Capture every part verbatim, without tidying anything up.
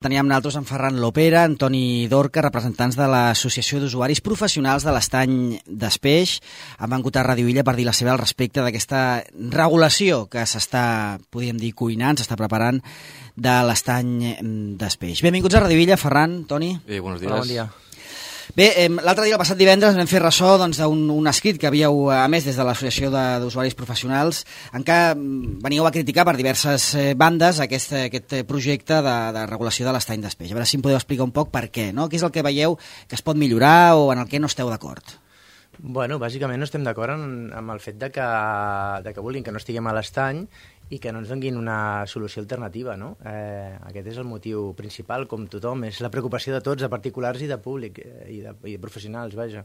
Teníem nosaltres en Ferran Lopera, Antoni Dorca, representants de l'Associació d'Usuaris Professionals de l'Estany d'Espeix. Han vengut a Ràdio Illa per dir la seva al respecte d'aquesta regulació que s'està, podríem dir, cuinant, s'està preparant de l'Estany d'Espeix. Benvinguts a Ràdio Illa, Ferran, Toni. Eh, buenos días. Hola, bon dia. Bé, eh, l'altre dia, el passat divendres, vam fer ressò doncs, d'un un escrit que havíeu emès des de l'Associació d'Usuaris Professionals en què veníeu a criticar per diverses eh, bandes aquest, aquest projecte de, de regulació de l'estany d'Espeix. A veure si em podeu explicar un poc per què, no? Què és el que veieu que es pot millorar o en el que no esteu d'acord? Bueno, bàsicament no estem d'acord amb, amb el fet de que, de que vulguin que no estiguem a l'estany i que no ens donin una solució alternativa, no? Eh, aquest és el motiu principal, com tothom. És la preocupació de tots, de particulars i de públic, eh, i, de, i de professionals, vaja.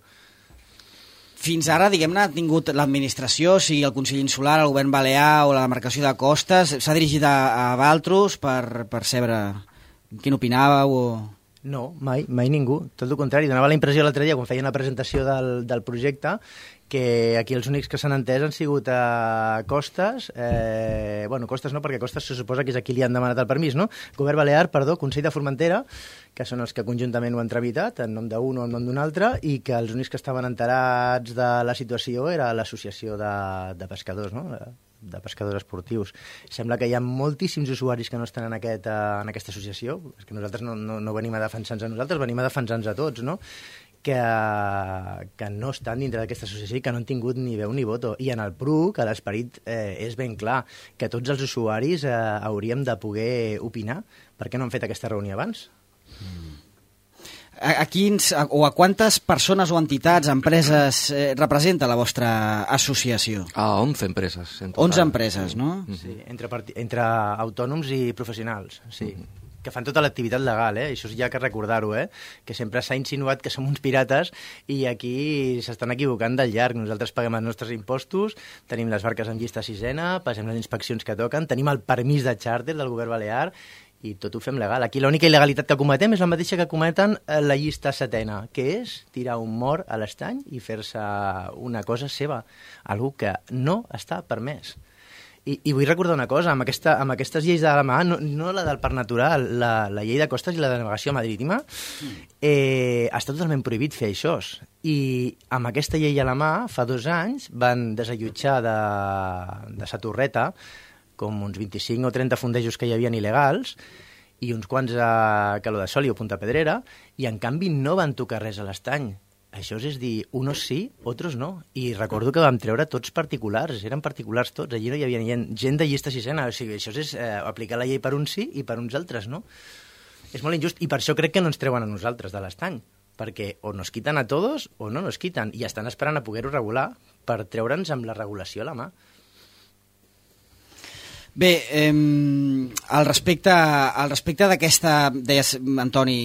Fins ara, diguem-ne, ha tingut l'administració, sigui el Consell Insular, el Govern Balear o la demarcació de Costes, s'ha dirigit a, a Valtros per, per saber quin opinàveu o... No, mai, mai ningú. Tot el contrari, donava la impressió l'altre dia, quan feien la presentació del, del projecte, que aquí els únics que s'han entès han sigut a Costes, eh, bueno, Costes no, perquè Costes se suposa que és a qui li han demanat el permís, no? Govern Balear, perdó, Consell de Formentera, que són els que conjuntament ho han tramitat, en nom d'un o en nom d'un altre, i que els únics que estaven enterats de la situació era l'associació de, de pescadors, no?, de pescadors esportius. Sembla que hi ha moltíssims usuaris que no estan en, aquest, en aquesta associació, és que nosaltres no, no, no venim a defensar-nos a nosaltres, venim a defensar-nos a tots, no?, que, que no estan dintre d'aquesta associació i que no han tingut ni veu ni voto. I en el P R U, que l'esperit eh, és ben clar, que tots els usuaris eh, hauríem de poder opinar. Per què no han fet aquesta reunió abans? Mm. A, a quins, a, o a quantes persones o entitats, empreses eh, representa la vostra associació? A once empreses. En total. onze empreses, no? Mm-hmm. Sí, entre, entre autònoms i professionals, sí. Mm-hmm. Que fan tota l'activitat legal, eh? Això ja que recordar-ho, eh? Que sempre s'ha insinuat que som uns pirates i aquí s'estan equivocant del llarg. Nosaltres paguem els nostres impostos, tenim les barques en llista sisena, passem les inspeccions que toquen, tenim el permís de xàrter del govern balear i tot ho fem legal. Aquí l'única il·legalitat que cometem és la mateixa que cometen la llista setena, que és tirar un mort a l'estany i fer-se una cosa seva, algú que no està permès. I, I vull recordar una cosa, amb, aquesta, amb aquestes lleis de la mà, no, no la del parc natural, la, la llei de costes i la de navegació marítima, eh, està totalment prohibit fer això. I amb aquesta llei a la mà, fa dos anys, van desallotjar de, de sa torreta com uns vint-i-cinc o trenta fondejos que hi havia il·legals i uns quants a Caló de Sol i a Punta Pedrera, i en canvi no van tocar res a l'estany. Això és dir, unos sí, otros no. I recordo que vam treure tots particulars, eren particulars tots, allí no hi havia gent de llista sisena, o sigui, això és eh, aplicar la llei per uns sí i per uns altres no. És molt injust, i per això crec que no ens treuen a nosaltres de l'estany, perquè o nos quiten a tots o no nos quiten, i estan esperant a poder-ho regular per treure'ns amb la regulació a la mà. Bé, eh, al respecte, al respecte d'aquesta, deies, Antoni,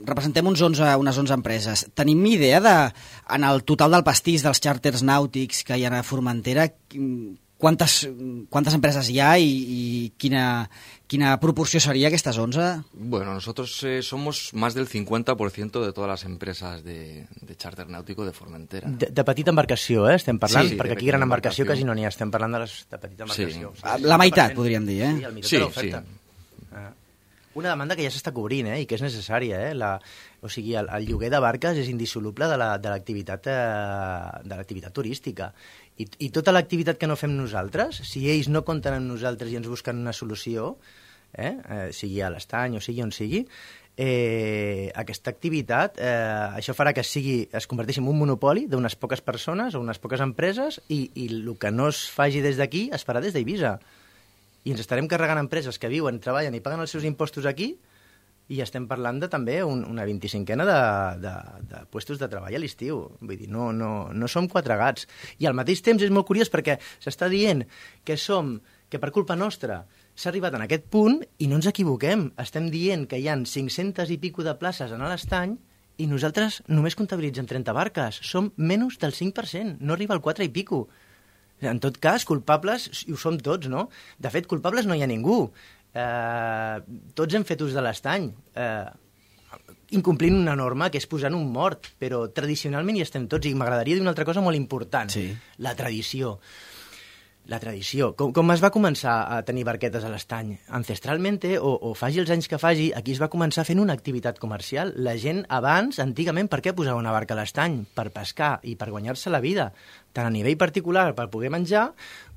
representem uns onze, unes onze empreses. Tenim idea de, en el total del pastís dels xàrters nàutics que hi ha a Formentera, quantes, quantes empreses hi ha i, i quina, quina proporció seria aquestes onze? Bueno, nosotros eh, somos más del cincuenta por ciento de todas las empresas de, de charter náutico de Formentera. De, de petita embarcació, eh, estem parlant, sí, perquè aquí gran embarcació quasi no n'hi ha, estem parlant de les de petita embarcació. Sí. O sigui, la meitat, podríem dir, eh? Sí, el meitat sí, de l'oferta. Sí. Una demanda que ja s'està cobrint, eh, i que és necessària, eh? La, o sigui, el, el lloguer de barques és indissoluble de la, de l'activitat eh, de l'activitat turística. I, I tota l'activitat que no fem nosaltres, si ells no compten amb nosaltres i ens busquen una solució, eh, eh, sigui a l'estany o sigui on sigui, eh, aquesta activitat, eh, això farà que sigui, es converteixi en un monopoli d'unes poques persones o unes poques empreses i, i el que no es faci des d'aquí es farà des d'Eivissa. I ens estarem carregant empreses que viuen, treballen i paguen els seus impostos aquí i estem parlant de també un, una vint-i-cinquena de, de, de puestos de treball a l'estiu. Vull dir, no, no, no som quatre gats. I al mateix temps és molt curiós perquè s'està dient que som, que per culpa nostra s'ha arribat en aquest punt i no ens equivoquem. Estem dient que hi ha cinc-centes i pico de places en l'estany i nosaltres només comptabilitzem trenta barques. Som menys del cinc per cent, no arriba al quatre i pico. En tot cas, culpables ho som tots, no? De fet, culpables no hi ha ningú. Eh, tots hem fet ús de l'estany, eh, incomplint una norma que és posant un mort, però tradicionalment hi estem tots, i m'agradaria dir una altra cosa molt important, sí. La tradició. La tradició. Com, com es va començar a tenir barquetes a l'estany? Ancestralmente, o, o faci els anys que faci, aquí es va començar fent una activitat comercial. La gent abans, antigament, per què posava una barca a l'estany? Per pescar i per guanyar-se la vida, tant a nivell particular per poder menjar,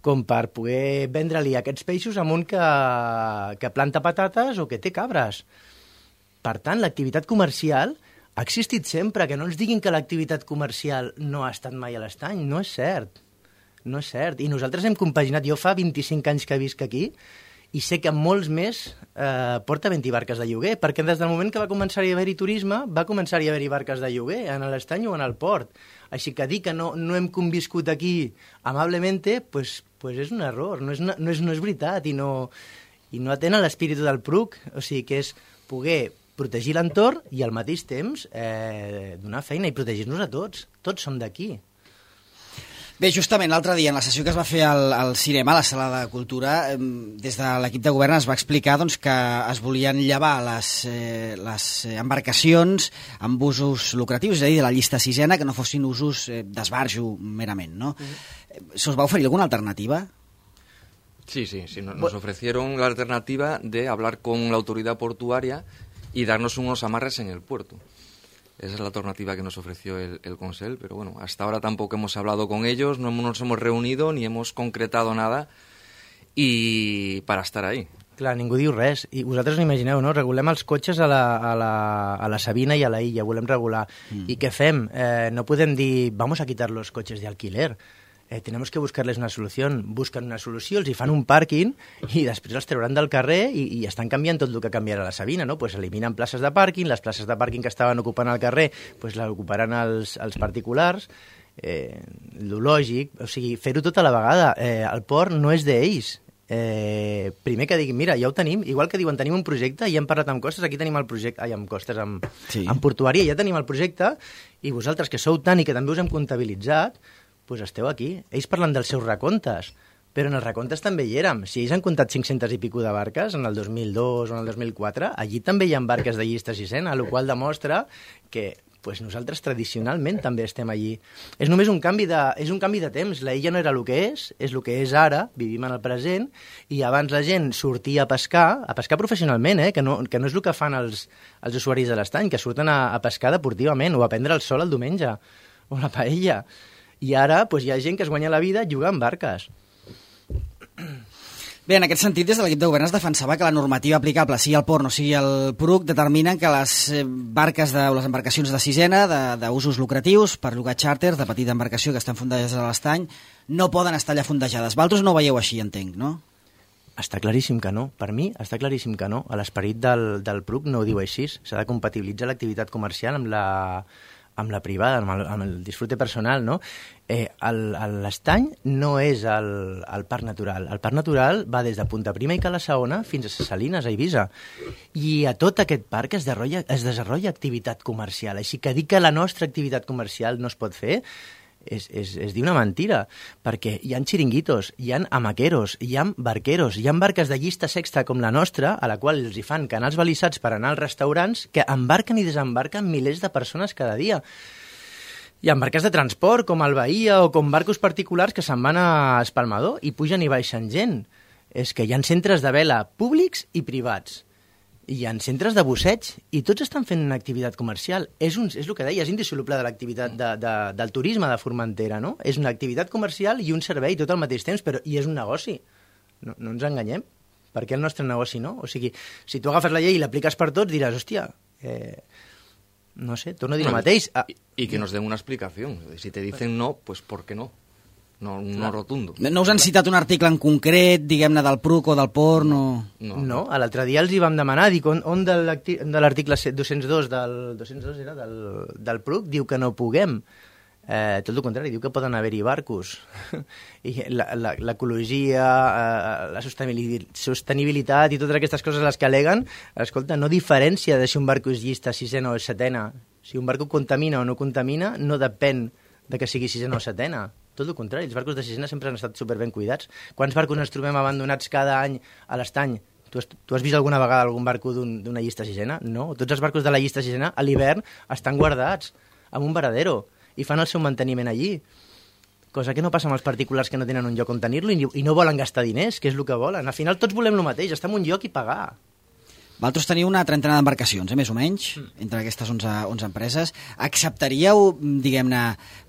com per poder vendre-li aquests peixos a un que, que planta patates o que té cabres. Per tant, l'activitat comercial ha existit sempre. Que no ens diguin que l'activitat comercial no ha estat mai a l'estany. No és cert. No és cert. I nosaltres hem compaginat. Jo fa vint-i-cinc anys que visc aquí i sé que molts més eh, porta vint barques de lloguer, perquè des del moment que va començar a haver-hi turisme, va començar a haver-hi barques de lloguer en l'estany o en el port. Així que dir que no, no hem conviscut aquí amablemente, pues, pues és un error, no és, no és, no és veritat i no, i no atén a l'espírit del Pruc. O sigui, que és poder protegir l'entorn i al mateix temps eh, donar feina i protegir-nos a tots. Tots som d'aquí. Bé, justament l'altre dia, en la sessió que es va fer al, al cinema, a la Sala de Cultura, eh, des de l'equip de govern es va explicar doncs, que es volien llevar les, eh, les embarcacions amb usos lucratius, és a dir, de la llista sisena, que no fossin usos eh, d'esbarjo merament, ¿no? Mm-hmm. ¿Se us va oferir alguna alternativa? Sí, sí, sí, nos ofrecieron la alternativa de hablar con la autoridad portuaria y darnos unos amarres en el puerto. Esa es la alternativa que nos ofreció el, el Consell, pero bueno, hasta ahora tampoco hemos hablado con ellos, no nos hemos reunido ni hemos concretado nada y para estar ahí. Clar, ningú diu res. I vosaltres no imagineu, no? Regulem els cotxes a la, a la, a la Sabina i a la Illa, volem regular. Mm. I què fem? Eh, no podem dir, vamos a quitar los coches de alquiler. Eh, tenemos que buscarles una solució. Busquen una solució, els hi fan un pàrquing i després els trauran del carrer i, i estan canviant tot el que canviarà la Sabina, no? Pues eliminen places de pàrquing, les places de pàrquing que estaven ocupant al carrer pues les ocuparan els, els particulars. Eh, lo lògic, o sigui, fer-ho tota la vegada. Eh, el port no és d'ells. Eh, primer que diguin, mira, ja ho tenim, igual que diuen, tenim un projecte i hem parlat amb Costes, aquí tenim el projecte, ai, amb Costes, amb, sí. amb Portuària, ja tenim el projecte, i vosaltres que sou tant i que també us hem comptabilitzat, pues esteu aquí. Ells parlen dels seus recomptes, però en els recomptes també hi érem. Si ells han comptat cinc-centes i pico de barques en el dos mil dos o en el dos mil quatre, allí també hi ha barques de llista sisena, el qual demostra que pues, nosaltres tradicionalment també estem allí. És només un canvi de, és un canvi de temps. La illa no era el que és, és el que és ara, vivim en el present, i abans la gent sortia a pescar, a pescar professionalment, eh? que, no, que no és el que fan els, els usuaris de l'estany, que surten a, a pescar deportivament o a prendre el sol el diumenge, o la paella. I ara pues, hi ha gent que es guanya la vida jugant barques. Bé, en aquest sentit, des de l'equip de govern es defensava que la normativa aplicable, sigui el port o sigui el Pruc, determinen que les barques de, o les embarcacions de sisena, d'usos lucratius, per llogar xàrter, de petita embarcació que estan fundejades a l'estany, no poden estar allà fundejades. Vosaltres no ho veieu així, entenc, no? Està claríssim que no. Per mi està claríssim que no. L'esperit del, del Pruc no ho diu així. S'ha de compatibilitzar l'activitat comercial amb la... amb la privada, amb el, amb el disfrute personal, no? Eh, l'estany no és el, el parc natural. El parc natural va des de Punta Prima i Cala Saona fins a Ses Salines, a Eivissa. I a tot aquest parc es desenvolupa, es desenvolupa activitat comercial. Així que dir que la nostra activitat comercial no es pot fer és, és, és dir una mentira, perquè hi ha xiringuitos, hi ha amaqueros, hi ha barqueros, hi ha barques de llista sexta com la nostra, a la qual els hi fan canals balissats per anar als restaurants, que embarquen i desembarquen milers de persones cada dia. Hi ha barques de transport, com el Bahia, o com barcos particulars que se'n van a Espalmador i pugen i baixen gent. És que hi ha centres de vela públics i privats. Hi ha centres de busseig i tots estan fent una activitat comercial. És, un, és el que deia, és indissoluble de l'activitat de, de, del turisme de Formentera, no? És una activitat comercial i un servei tot al mateix temps, però i és un negoci. No, no ens enganyem. Per què el nostre negoci no? O sigui, si tu agafes la llei i l'apliques per tots, diràs, hòstia, eh, no sé, torno a dir el mateix. Ah, y, y que nos den una explicación. Si te dicen no, pues ¿por qué no? No, no rotundo. No us han citat un article en concret, diguem-ne, del Pruc o del port? No, no, no. L'altre dia els hi vam demanar, dic, on, on de l'article dos-cents dos del, dos-cents dos era del, del Pruc diu que no puguem. Eh, tot el contrari, diu que poden haver-hi barcos. I l'ecologia, eh, la sostenibilitat i totes aquestes coses les que aleguen, escolta, no diferència de si un barco és llista sisena o setena. Si un barco contamina o no contamina, no depèn de que sigui sisena o setena. Tot el contrari, els barcos de sisena sempre han estat superben cuidats. Quants barcos ens trobem abandonats cada any a l'estany? Tu has, tu has vist alguna vegada algun barco d'una un, llista sisena? No. Tots els barcos de la llista sisena a l'hivern estan guardats en un varadero i fan el seu manteniment allí. cosa que no passa amb els particulars que no tenen un lloc on tenir-lo i, i no volen gastar diners, que és el que volen. Al final tots volem el mateix, estar en un lloc i pagar. Vosaltres teniu una trentena d'embarcacions, eh, més o menys, mm. entre aquestes onze, onze empreses. Acceptaríeu, diguem-ne,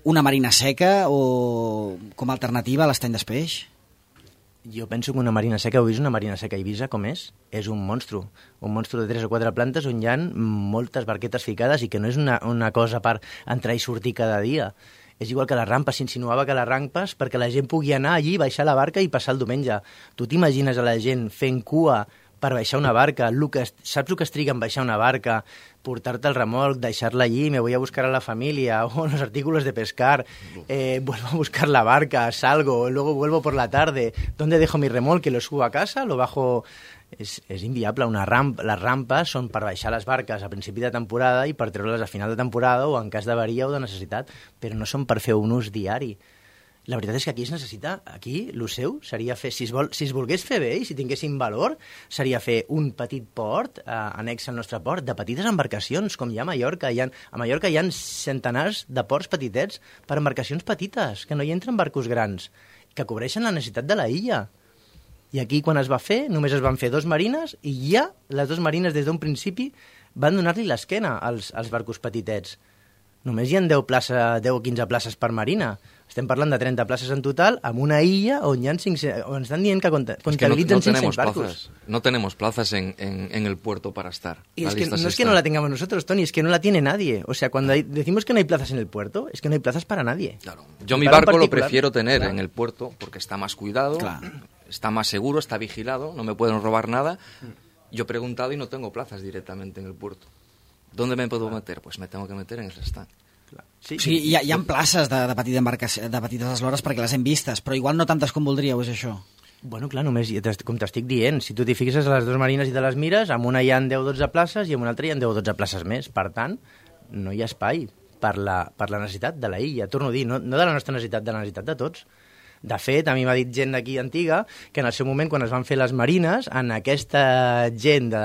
una marina seca o com a alternativa a l'estany d'Espeix? Jo penso que una marina seca, heu vist una marina seca a Eivissa, com és? És un monstru. Un monstru de tres o quatre plantes on hi ha moltes barquetes ficades i que no és una, una cosa per entrar i sortir cada dia. És igual que les rampes, s'insinuava que les rampes perquè la gent pugui anar allí, baixar la barca i passar el diumenge. Tu t'imagines a la gent fent cua per baixar una barca, el que, saps el que es triga en baixar una barca, portar-te el remolc, deixar-la allí, me voy a buscar a la familia, o los artículos de pescar, eh, vuelvo a buscar la barca, salgo, luego vuelvo por la tarde, ¿dónde dejo mi remolque? ¿Lo subo a casa? ¿Lo bajo? És, és inviable. Una ramp, les rampes són per baixar les barques a principi de temporada i per treure-les a final de temporada o en cas d'avaria o de necessitat, però no són per fer un ús diari. La veritat és que aquí es necessita, aquí, el seu seria fer, si es, vol, si es volgués fer bé i si tinguéssim valor, seria fer un petit port, eh, annex al nostre port, de petites embarcacions, com hi ha a Mallorca. Hi ha, a Mallorca hi ha centenars de ports petitets per embarcacions petites, que no hi entren barcos grans, que cobreixen la necessitat de la illa. I aquí, quan es va fer, només es van fer dos marines i ja les dues marines, des d'un principi, van donar-li l'esquena als, als barcos petitets. Només hi ha deu, plaça, deu o quinze places per marina. Estem parlant de trenta places en total, amb una illa on hi ha cinc-cents, on estan dient que comptabilitzen es que no, no cinc-cents barcos. Plazas, no tenemos plazas en, en, en el puerto para estar. Y es que, no es que no la tengamos nosotros, Tony, es que no la tiene nadie. O sea, cuando hay, decimos que no hay plazas en el puerto, es que no hay plazas para nadie. Claro. Yo mi barco lo prefiero tener claro. en el puerto porque está más cuidado, claro. está más seguro, está vigilado, no me pueden robar nada. Yo he preguntado y no tengo plazas directamente en el puerto. ¿Dónde me puedo meter? Pues me tengo que meter en el stand. Sí, sí, hi ha, hi ha places de, de, petita de petites eslores perquè les hem vistes, però igual no tantes com voldríeu, és això? Bueno, clar, només, com t'estic dient, si tu t'hi fixes a les dues marines i te les mires, amb una hi ha deu o dotze places i amb una altra hi ha deu o dotze places més. Per tant, no hi ha espai per la, per la necessitat de la illa. Torno a dir, no, no de la nostra necessitat, de la necessitat de tots. De fet, a mi m'ha dit gent d'aquí antiga que en el seu moment, quan es van fer les marines, en aquesta gent de,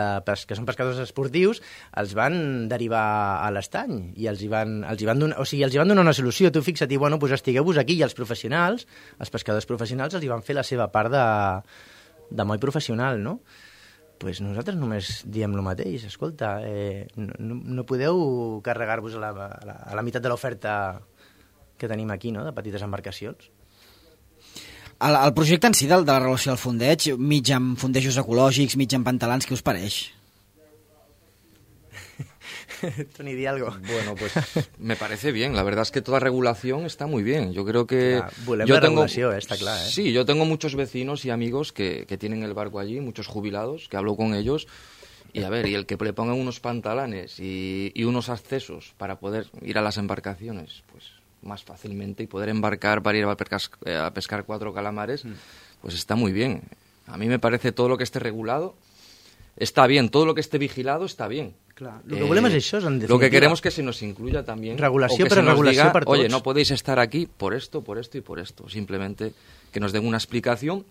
que són pescadors esportius, els van derivar a l'estany i els hi van, els hi van donar, o sigui, els hi van donar una solució. Tu fixa't, i bueno, pues estigueu-vos aquí, i els professionals, els pescadors professionals, els hi van fer la seva part de, de moll professional, no? Pues nosaltres només diem el mateix. Escolta, eh, no, no podeu carregar-vos a la, a la, a la meitat de l'oferta que tenim aquí, no?, de petites embarcacions. El, el projecte en si de, de la relació al fondeig, mig amb fondejos ecològics, mig amb pantalans, què us pareix? Tony, di algo. Bueno, pues me parece bien. La verdad es que toda regulación está muy bien. Yo creo que... Volem yo la tengo, regulació, eh? Està clar, eh? Sí, yo tengo muchos vecinos y amigos que, que tienen el barco allí, muchos jubilados, que hablo con ellos. Y a ver, y el que le pongan unos pantalanes y, y unos accesos para poder ir a las embarcaciones, pues... más fácilmente y poder embarcar para ir a pescar, a pescar cuatro calamares, pues está muy bien. A mí me parece todo lo que esté regulado está bien, todo lo que esté vigilado está bien. Claro. Lo que eh, volem és això, en definitiva. Lo que queremos que se nos incluya también. Regulació, o que però se nos regulació diga, per tots. oye, no podéis estar aquí por esto, por esto y por esto. Simplemente que nos den una explicación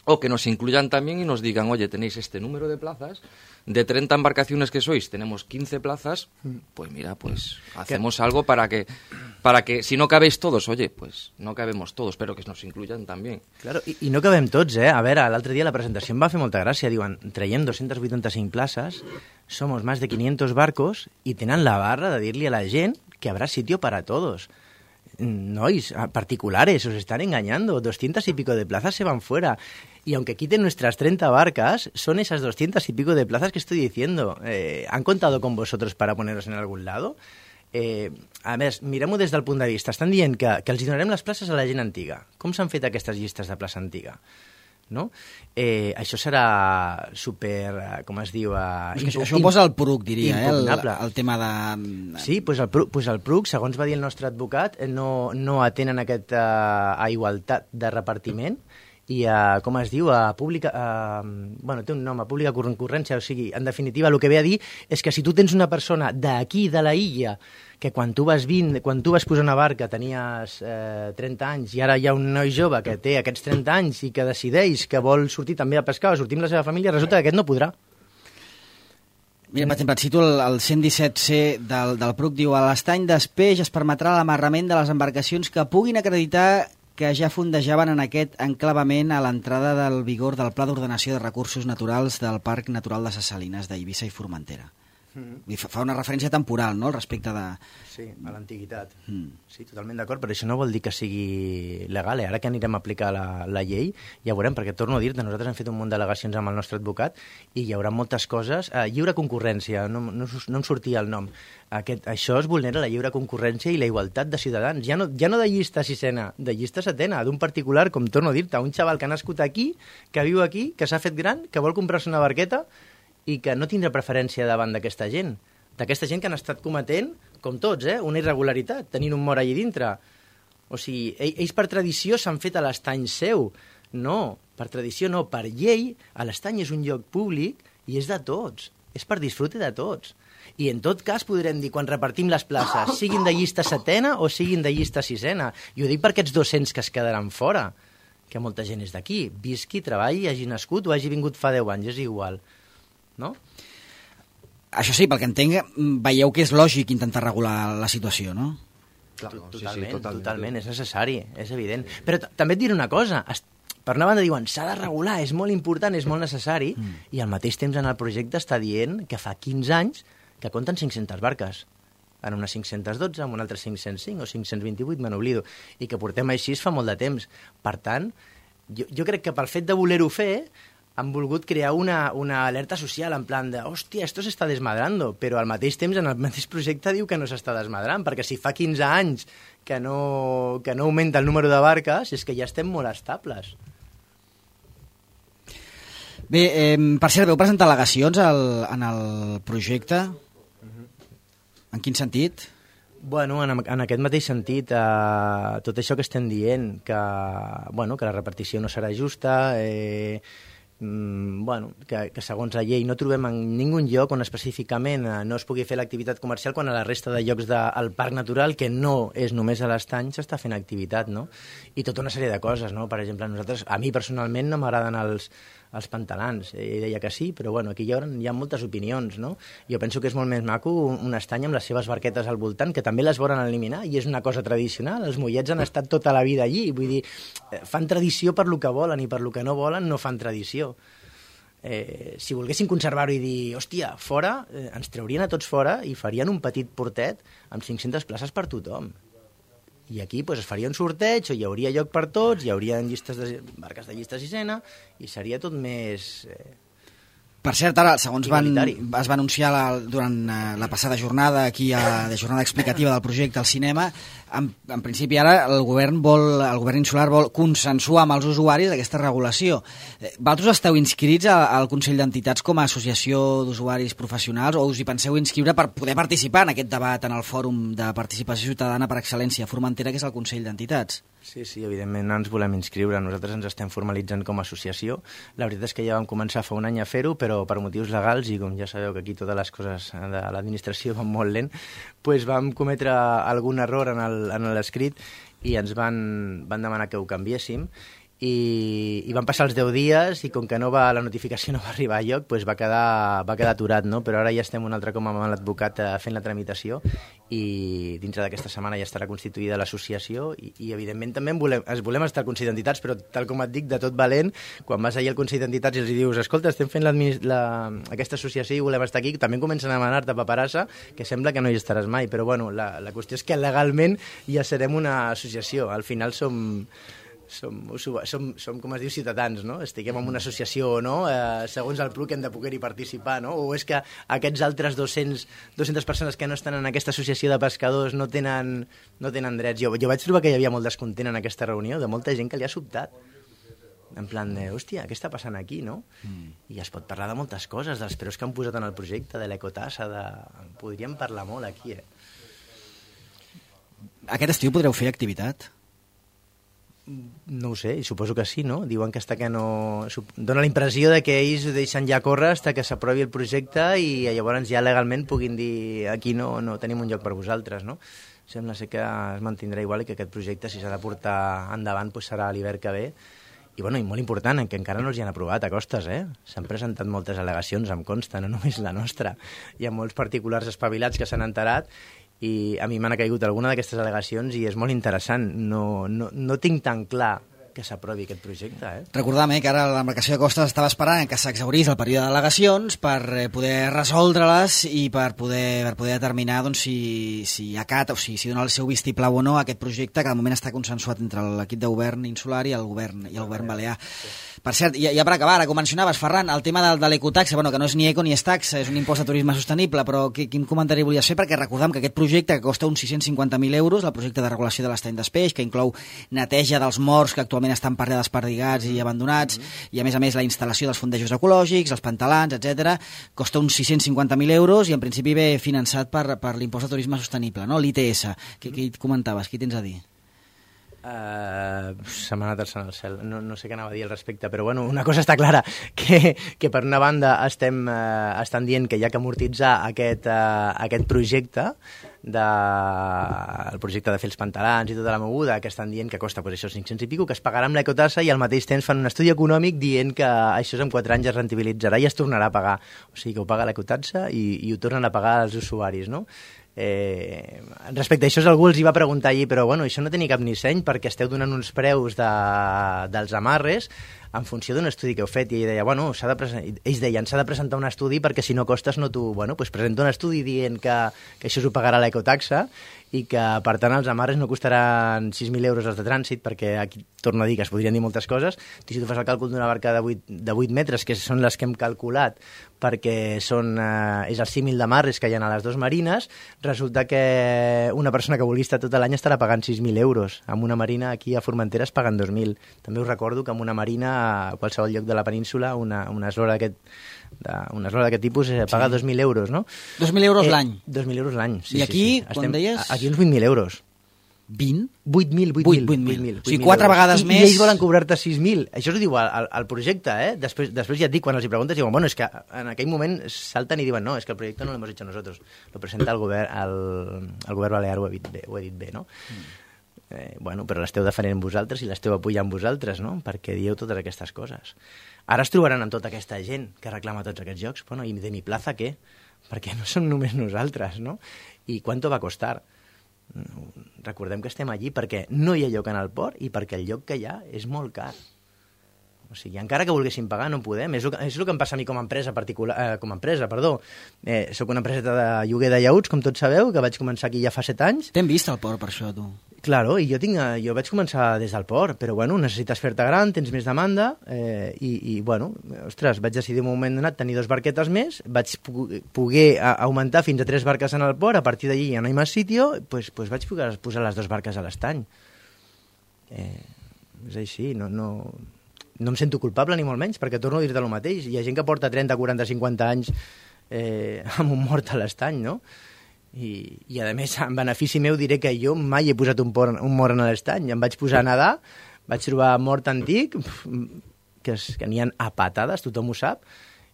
o que nos incluyan también y nos digan, oye, tenéis este número de plazas, de treinta embarcaciones que sois, tenemos quince plazas, pues mira, pues hacemos algo para que, para que si no cabéis todos, oye, pues no cabemos todos, pero que nos incluyan también. Claro, i, i no cabem tots, eh? A veure, l'altre dia la presentació em va fer molta gràcia, diuen, traiem dos-centes vuitanta-cinc places, somos más de quinientos barcos i tenen la barra de dir-li a la gent que habrá sitio para todos. Nois, particulares, os están engañando, doscientas y pico de plazas se van fuera. Y aunque quiten nuestras treinta barcas, son esas doscientas y pico de plazas que estoy diciendo. Eh, ¿Han contado con vosotros para poneros en algún lado? Eh, a més, mirem-ho des del punt de vista. Estan dient que, que els donarem les places a la gent antiga. Com s'han fet aquestes llistes de plaça antiga? No? Eh, això serà super, com es diu... Uh, es que això ho posa el P R U C, diria, eh, el, el tema de... Sí, doncs el, pues el P R U C, segons va dir el nostre advocat, no, no atenen aquest, uh, a igualtat de repartiment i a, com es diu, a pública... A, bueno, té un nom, a pública concurrència, o sigui, en definitiva, el que ve a dir és que si tu tens una persona d'aquí, de la illa, que quan tu vas vint, quan tu vas posar una barca tenies eh, trenta anys i ara hi ha un noi jove que té aquests trenta anys i que decideix que vol sortir també a pescar o sortir amb la seva família, resulta que aquest no podrà. Mira, per exemple, et cito el, el cent disset C del, del P R U C, diu a l'estany d'Espeix es permetrà l'amarrament de les embarcacions que puguin acreditar que ja fondejaven en aquest enclavament a l'entrada del vigor del Pla d'Ordenació de Recursos Naturals del Parc Natural de ses Salines d'Eivissa i Formentera. Mm. Fa una referència temporal, no?, al respecte de... Sí, a l'antiguitat. Mm. Sí, totalment d'acord, però això no vol dir que sigui legal. Eh? Ara que anirem a aplicar la, la llei, ja veurem, perquè torno a dir-te, nosaltres hem fet un munt d'al·legacions amb el nostre advocat i hi haurà moltes coses. Eh, lliure concurrència, no, no, no em sortia el nom. Aquest, això es vulnera la lliure concurrència i la igualtat de ciutadans. Ja no, ja no de llista sisena, de llista setena, d'un particular, com torno a dir-te, un xaval que ha nascut aquí, que viu aquí, que s'ha fet gran, que vol comprar-se una barqueta i que no tindrà preferència davant d'aquesta gent. D'aquesta gent que han estat cometent, com tots, eh, una irregularitat, tenint un mort allà dintre. O sigui, ells per tradició s'han fet a l'estany seu. No, per tradició no, per llei, a l'estany és un lloc públic i és de tots. És per disfrute de tots. I en tot cas podrem dir, quan repartim les places, siguin de llista setena o siguin de llista sisena. I ho dic per aquests dos-cents que es quedaran fora, que molta gent és d'aquí. Visqui, treballi, hagi nascut o hagi vingut fa deu anys, és igual. No? Això sí, pel que entenc, veieu que és lògic intentar regular la situació, no? Clar, totalment, sí, sí, totalment, totalment, és necessari, és evident. Però també et diré una cosa, per una banda diuen s'ha de regular, és molt important, és molt necessari, mm. i al mateix temps en el projecte està dient que fa quinze anys que compten cinc-centes barques. En una cinc-centes dotze, en una altra cinc-cents cinc o cinc-cents vint-i-vuit, me n'oblido, i que portem així fa molt de temps. Per tant, jo, jo crec que pel fet de voler-ho fer han volgut crear una, una alerta social en plan de, hòstia, esto s'està desmadrando, però al mateix temps en el mateix projecte diu que no s'està desmadrant, perquè si fa quinze anys que no, que no augmenta el número de barques, és que ja estem molt estables. Bé, eh, per cert, veu presentar al·legacions al, en el projecte? En quin sentit? Bueno, en, en aquest mateix sentit, eh, tot això que estem dient, que, bueno, que la repartició no serà justa, eh, Mm, bueno, que, que segons la llei no trobem en ningú lloc on específicament eh, no es pugui fer l'activitat comercial quan a la resta de llocs del parc natural, que no és només a l'estany, s'està fent activitat, no? I tota una sèrie de coses, no? Per exemple, nosaltres, a mi personalment no m'agraden els, els pantalans, ell deia que sí, però bueno, aquí hi ha, hi ha moltes opinions, no? Jo penso que és molt més maco un, un estany amb les seves barquetes al voltant, que també les volen eliminar, i és una cosa tradicional, els mollets han estat tota la vida allí, vull dir, fan tradició per lo que volen, i per lo que no volen no fan tradició. Eh, si volguessin conservar-ho i dir, hòstia, fora, eh, ens traurien a tots fora i farien un petit portet amb cinc-centes places per tothom. I aquí pues, es faria un sorteig, o hi hauria lloc per tots, hi hauria llistes de, barques de llista sisena, i seria tot més... Eh, Per cert, ara, segons van, es va anunciar la, durant uh, la passada jornada, aquí a la jornada explicativa del projecte al cinema, en, en principi ara el govern vol, el govern insular vol consensuar amb els usuaris aquesta regulació. Eh, vosaltres esteu inscrits a, al Consell d'Entitats com a associació d'usuaris professionals o us hi penseu inscriure per poder participar en aquest debat en el Fòrum de Participació Ciutadana per Excel·lència Formentera, que és el Consell d'Entitats? Sí, sí, evidentment ens volem inscriure. Nosaltres ens estem formalitzant com a associació. La veritat és que ja vam començar fa un any a fer-ho, però per motius legals, i com ja sabeu que aquí totes les coses de l'administració van molt lent, doncs vam cometre algun error en l'escrit i ens van, van demanar que ho canviéssim. I, i van passar els deu dies i com que no va, la notificació no va arribar a lloc, doncs va quedar, va quedar aturat, no? Però ara ja estem un altre cop amb l'advocat fent la tramitació i dintre d'aquesta setmana ja estarà constituïda l'associació i, i evidentment també en volem, es volem estar al Consell d'Entitats, però tal com et dic, de tot valent, quan vas allà al Consell d'Entitats i els dius, escolta, estem fent la, aquesta associació i volem estar aquí, també comencen a demanar-te paperassa, que sembla que no hi estaràs mai, però bueno, la, la qüestió és que legalment ja serem una associació, al final som... Som, som, som, com es diu, ciutadans, no? Estiguem en una associació o no, eh, segons el P L U que hem de poder-hi participar, no? O és que aquests altres dos-cents, dues-centes persones que no estan en aquesta associació de pescadors no tenen, no tenen drets. Jo, jo vaig trobar que hi havia molt descontent en aquesta reunió, de molta gent que li ha sobtat. En plan de, hòstia, què està passant aquí, no? Mm. I es pot parlar de moltes coses, dels preus que han posat en el projecte, de l'ecotassa, de... podríem parlar molt aquí, eh? Aquest estiu podreu fer activitat? No ho sé, suposo que sí, no? Diuen que està que no... Dóna la impressió de que ells deixen ja córrer fins que s'aprovi el projecte i llavors ja legalment puguin dir aquí no, no tenim un lloc per vosaltres, no? Sembla ser que es mantindrà igual i que aquest projecte, si s'ha de portar endavant, doncs serà l'hivern que ve. I, bueno, i molt important, que encara no els hi han aprovat a costes, eh? S'han presentat moltes al·legacions, em consta, no només la nostra. Hi ha molts particulars espavilats que s'han enterat i a mi m'han caigut alguna d'aquestes al·legacions i és molt interessant. No, no, no tinc tan clar que s'aprovi aquest projecte. Eh? Recordam eh, que ara l'embarcació de costes estava esperant que s'exhaurís el període d'al·legacions per eh, poder resoldre-les i per poder, per poder determinar doncs, si, si acata o si, si dona el seu vistiplau o no a aquest projecte que de moment està consensuat entre l'equip de govern insular i el govern, i el govern balear. Per cert, ja, ja per acabar, ara com mencionaves, Ferran, el tema de, de l'ecotaxa, bueno, que no és ni eco ni és taxa, és un impost de turisme sostenible, però qui, quin comentari volies fer? Perquè recordam que aquest projecte, que costa uns sis-cents cinquanta mil euros, el projecte de regulació de l'estany d'Espeix, que inclou neteja dels morts que actualment estan per allà desperdigats i abandonats, mm-hmm. i a més a més la instal·lació dels fondejos ecològics, els pantalans, etcètera, costa uns sis-cents cinquanta mil euros i en principi ve finançat per, per l'impost de turisme sostenible, no? l'I T S. Què, què comentaves? Què tens a dir? Uh, se m'ha anat alçant al cel, no, no sé què anava a dir al respecte, però bueno, una cosa està clara, que, que per una banda estem, uh, estan dient que hi ha que amortitzar aquest, uh, aquest projecte, de, el projecte de fer els pantalans i tota la moguda, que estan dient que costa pues, això cinc-cents i pico, que es pagarà amb l'ecotassa i al mateix temps fan un estudi econòmic dient que això en quatre anys es rentabilitzarà i es tornarà a pagar. O sigui, que ho paga l'ecotassa i, i ho tornen a pagar els usuaris, no? Eh, respecte a això algú els hi va preguntar allí, però bueno, això no té ni cap ni seny perquè esteu donant uns preus de, dels amarres en funció d'un estudi que heu fet, i ell deia, bueno, s'ha de presen... ells deien, s'ha de presentar un estudi perquè si no costes no tu... Bueno, doncs presenta un estudi dient que, que això s'ho pagarà l'ecotaxa i que, per tant, els amarres no costaran sis mil euros els de trànsit, perquè aquí torno a dir que es podrien dir moltes coses. Tu, si tu fas el càlcul d'una barca de vuit metres, que són les que hem calculat, perquè són, eh, és el símil d'amarres que hi ha a les dues marines, resulta que una persona que vulgui estar tot l'any estarà pagant sis mil euros. Amb una marina aquí a Formentera es paguen dos mil. També us recordo que amb una marina a qualsevol lloc de la península una, una eslora d'aquest una eslora d'aquest tipus eh, paga sí. dos mil euros, no? dos mil euros eh, l'any? dos mil euros l'any, sí. I aquí, sí, sí. quan Estem, deies? Aquí uns vuit mil euros. vint? vuit mil, vuit mil. O sigui, quatre vegades I, més... I ells volen cobrar-te sis mil. Això ho diu al, al projecte, eh? Després, després ja et dic, quan els hi preguntes, diuen, bueno, és que en aquell moment salten i diuen, no, és que el projecte no l'hem hecho nosotros, lo presenta el govern, el, el govern balear, ho he dit bé, ho he dit bé, no? Mm. Eh, bueno, però l'esteu defendent vosaltres i l'esteu apoyant vosaltres, no? Perquè dieu totes aquestes coses. Ara es trobaran amb tota aquesta gent que reclama tots aquests jocs. Bueno, i de mi plaza què? Perquè no som només nosaltres, no? I quanto va costar? Recordem que estem allí perquè no hi ha lloc en el port i perquè el lloc que hi ha és molt car. O sigui, encara que volguéssim pagar, no podem. És el que, és el que em passa a mi com a empresa particular, eh, com a empresa, perdó. Eh, soc una empresa de lloguer de llaüts, com tots sabeu, que vaig començar aquí ja fa set anys. T'hem vist al port per això, tu. Claro, i jo, tinc, jo vaig començar des del port, però bueno, necessites fer-te gran, tens més demanda, eh, i, i bueno, ostres, vaig decidir un moment donat tenir dos barquetes més, vaig poder augmentar fins a tres barques en el port, a partir d'allí ja no hi ha més sitio, pues, pues vaig poder posar les dues barques a l'estany. Eh, és així, no, no, no em sento culpable ni molt menys, perquè torno a dir-te el mateix. Hi ha gent que porta trenta, quaranta, cinquanta anys eh, amb un mort a l'estany, no? I, i a més, en benefici meu diré que jo mai he posat un, por, un mort en l'estany. Em vaig posar a nedar, vaig trobar mort antic, que, es, que n'hi ha a patades, tothom ho sap,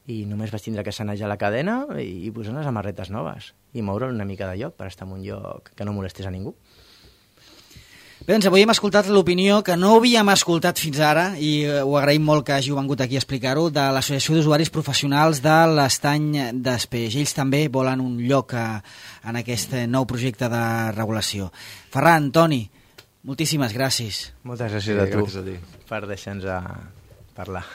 i només vaig tindre que sanejar la cadena i, i posar unes amarretes noves i moure'l una mica de lloc per estar en un lloc que no molestés a ningú. Bé, doncs avui hem escoltat l'opinió que no havíem escoltat fins ara, i ho agraïm molt que hàgiu vengut aquí a explicar-ho, de l'Associació d'Usuaris Professionals de l'Estany d'Espeix. Ells també volen un lloc a, en aquest nou projecte de regulació. Ferran, Toni, moltíssimes gràcies. Moltes gràcies a tu gràcies a ti. per deixar-nos parlar.